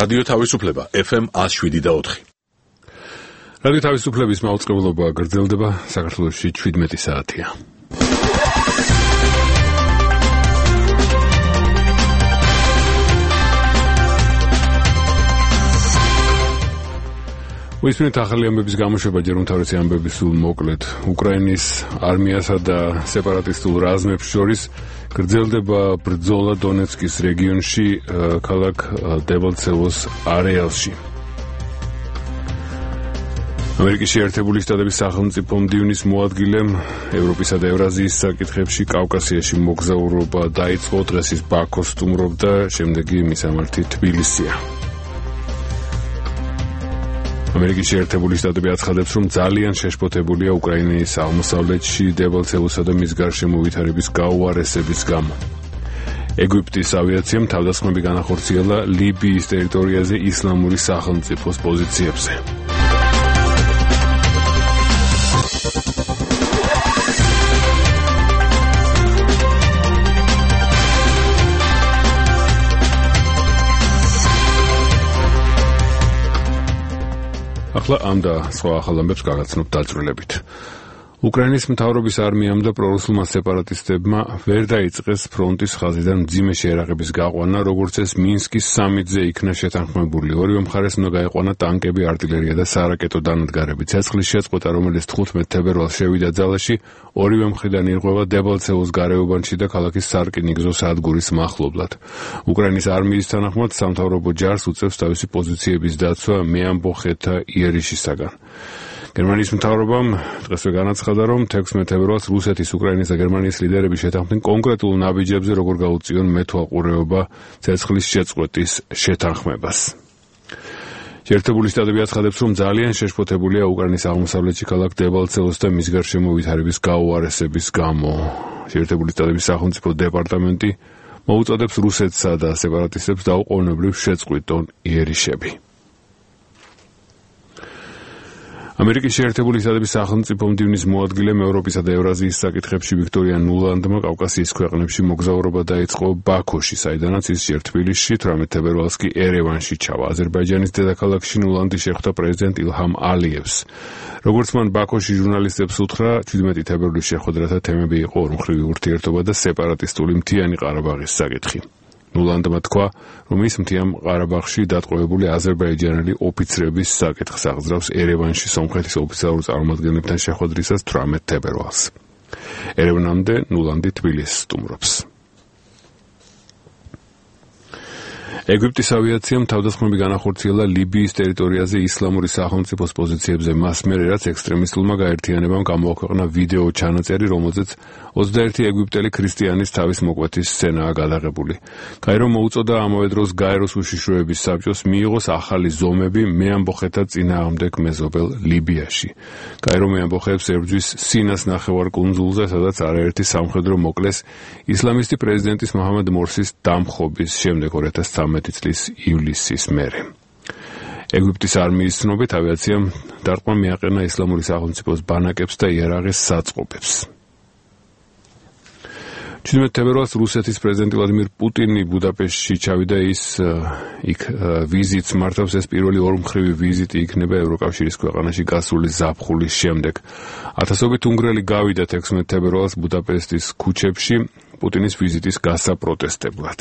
რადიო თავისუფლება FM 107.4. რადიო თავისუფლების მაუწყებლობა გრძელდება, საქართველოში 17 საათია. ვისმენთ ახალი ამბების გამოშვება ჯერ უმთავრესი ამბების სულ მოკლედ. უკრაინის არმიასა და სეპარატისტულ რაზმებს შორის გრძელდება ბრძოლა დონეცკის რეგიონში, ქალაქ დებალცევოს არეალში. ამერიკის შეერთებული შტატების სახელმწიფო მდივნის მოადგილემ ევროპისა და ევრაზიის საკითხებში კავკასიაში მოგზაურობა დაიწყო, დღეს ის ბაქოს სტუმრობდა, შემდეგი მისამართი თბილისია. ამერიკის შეერთებული შტატები აცხადებს, რომ ძალიან შეშფოთებულია უკრაინის აღმოსავლეთში დებალცევოსა და მის გარშემო ვითარების გაუარესების გამო. ეგვიპტის ავიაციამ თავდასხმები განახორციელა ლიბიის ტერიტორიაზე ისლამური სახელმწიფოს პოზიციებზე. ახლა ამ და სხვა ახალ ამბებს გაგაცნობთ დაწვრილებით. უკრაინის მთავრობის არმიამ და პრორუსულმა სეპარატისტებმა ვერ დაიწყეს ფრონტის ხაზიდან მძიმე შეერაღების გაყვანა, როგორც ეს მინსკის სამიტზე იქნა შეთანხმებული. ორივე მხარეს უნდა გაეყვანა ტანკები, артиლერია და სარაკეტო დანადგარები. ცეცხლის შეწყვეტა, რომელიც 15 თებერვალს შევიდა ძალაში, ორივე მხრიდან ირღვევა დებალცევოს გარეუბანში და ქალაქის სარკინიგზო სადგურის მახლობლად. უკრაინის არმიის თანახმად სამთავრობო ჯარს უწევს თავისი პოზიციების დაცვა მეამბოხეთა იერიშისაგან. გერმანიის მთავრობამ დღესვე განაცხადა, რომ 16 თებერვალს რუსეთის, უკრაინის და გერმანიის ლიდერები შეთანხმდნენ კონკრეტულ ნაბიჯებზე, როგორ გაუწიონ მეთვალყურეობა ცეცხლის შეწყვეტის შეთანხმებას. შეერთებული შტატები აცხადებს, რომ ძალიან შეშფოთებულია უკრაინის აღმოსავლეთში ქალაქ დებალცევოს და მის გარშემო ვითარების გაუარესების გამო. შეერთებული შტატების სახელმწიფო დეპარტამენტი მოუწოდებს რუსეთსა და სეპარატისტებს დაუყოვნებლივ შეწყვიტონ იერიშები. ამერიკის შეერთებული შტატების სახელმწიფო მდივნის მოადგილემ ევროპისა და ევრაზიის საკითხებში ვიქტორია ნულანდმა კავკასიის ქვეყნებში მოგზაურობა დაიწყო ბაქოში, საიდანაც ის ჯერ თბილისში, 18 თებერვალს კი ერევანში ჩავა. აზერბაიჯანის დედაქალაქში ნულანდი შეხვდა პრეზიდენტ ილჰამ ალიევს. როგორც მან ბაქოში ჟურნალისტებს უთხრა, 17 თებერვლის შეხვედრათა თემები იყო ორმხრივი ურთიერთობა და სეპარატისტული მთიანი ყარაბაღის საკითხი. ნულანდმა თქვა, რომ ის მთიან ყარაბაღში დატყვევებული აზერბაიჯანელი ოფიცრების საკითხს აღძრავს ერევანში სომხეთის ოფიციალურ წარმომადგენლებთან შეხვედრისას 18 თებერვალს. ერევანამდე ნულანდი თბილისს სტუმრობს. ეგვიპტის ავიაციამ თავდასხმები განახორციელა ლიბიის ტერიტორიაზე ისლამური სახელმწიფოს პოზიციებზე მას მერე, რაც ექსტრემისტულმა გაერთიანებამ გამოაქვეყნა ვიდეო ჩანაწერი, რომელზეც 21 ეგვიპტელი ქრისტიანის თავის მოკვეთის სცენაა გადაღებული. კაირო მოუწოდა ამავე დროს გაეროს უშიშროების საბჭოს მიიღოს ახალი ზომები მეამბოხეთა წინააღმდეგ მეზობელ ლიბიაში. კაირო მეამბოხეებს ებრძვის სინას ნახევარკუნძულზე, სადაც არაერთი სამხედრო მოკლეს ისლამისტი პრეზიდენტის მოჰამედ მორსის დამხობის შემდეგ 2013 წლის ივლისის მერე. ეგვიპტის არმიის ცნობით ავიაციამ დარტყმა მიაყენა ისლამური სახელმწიფოს ბანაკებს და იარაღის საწყობებს. 17 თებერვალს რუსეთის პრეზიდენტი ვლადიმირ პუტინი ბუდაპეშტში ჩავიდა, ის იქ ვიზიტს მართავს. ეს პირველი ორმხრივი ვიზიტი იქნება ევროკავშირის ქვეყანაში გასული ზაფხულის შემდეგ. ათასობით უნგრელი გავიდა 16 თებერვალს ბუდაპეშტის ქუჩებში პუტინის ვიზიტის გასაპროტესტებლად.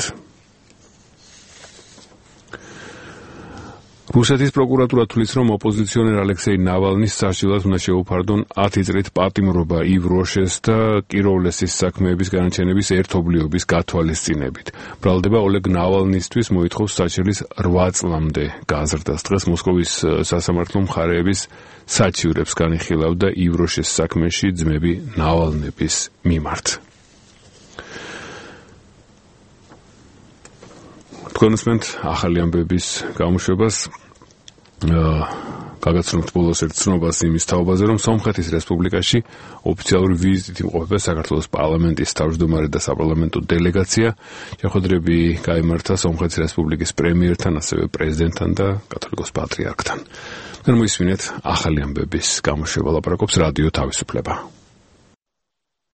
რუსეთის პროკურატურა თვლის, რომ ოპოზიციონერ ალექსეი ნავალნის სასჯელად უნდა შეუფარდონ 10 წლით პატიმრობა ივ როშეს და კიროვლესის საქმეების განაჩენების ერთობლიობის გათვალისწინებით. ბრალდება ოლეგ ნავალნისთვის მოითხოვს საჩელის 8 წლამდე გაზრდას. დღეს მოსკოვის სასამართლო მხარეების საჩივრებს განიხილავდა ივ როშეს საქმეში ძმები ნავალნების მიმართ. თქვენ უსმენთ ახალი ამბების გამოშვებას. გაგაცნობთ ბოლოს ერთ ცნობას იმის თაობაზე, რომ სომხეთის რესპუბლიკაში ოფიციალური ვიზიტით იმყოფება საქართველოს პარლამენტის თავმჯდომარე და საპარლამენტო დელეგაცია. შეხვედრები გაიმართა სომხეთის რესპუბლიკის პრემიერთან, ასევე პრეზიდენტთან და კათოლიკოს პატრიარქთან. მოისმინეთ ახალი ამბების გამოშვება, ლაპარაკობს რადიო თავისუფლება.